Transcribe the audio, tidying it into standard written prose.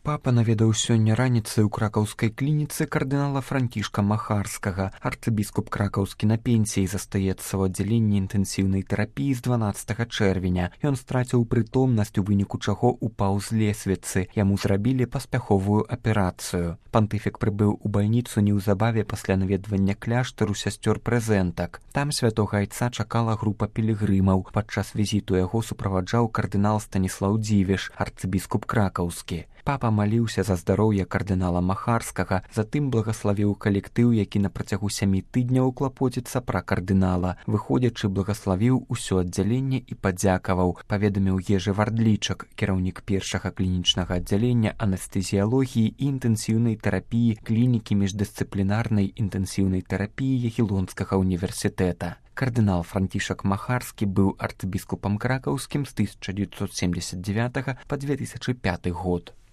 Папа наведаў сёння раніцай у кракаўскай клініцы кардынала Францішка Махарскага. Арцыбіскуп кракаўскі на пенсіі застаецца ў аддзяленні інтэнсіўнай тэрапіі з 12 чэрвеня. Ён страціў прытомнасць, у выніку чаго упаў з лесвіцы. Яму зрабілі паспяховую аперацыю. Пантыфік прыбыў у бальніцу неўзабаве пасля наведвання кляштару сясцёр прэзентак. Там святога айца чакала група пілігрымаў. Падчас візіту яго суправаджаў кардынал Станіслаў Дзівіш, арцыбіскуп кракаўскі. Папа маліўся за здароўе кардынала Махарскага, затым благаславіў калектыў, які на працягу 7 тыдняў клапоціцца пра кардынала. Выходзячы, благаславіў усё аддзяленне і падзякаваў, паведаміў Ежы Вардлічак, кіраўнік першага клінічнага аддзялення анестэзіялогіі і інтэнсіўнай тэрапіі клінікі міждысцыплінарнай інтэнсіўнай тэрапіі Ягелонскага універсітэта. Кардынал Францішак Махарскі быў арцыбіскупам кракаўскім з 1979 па 2005 год.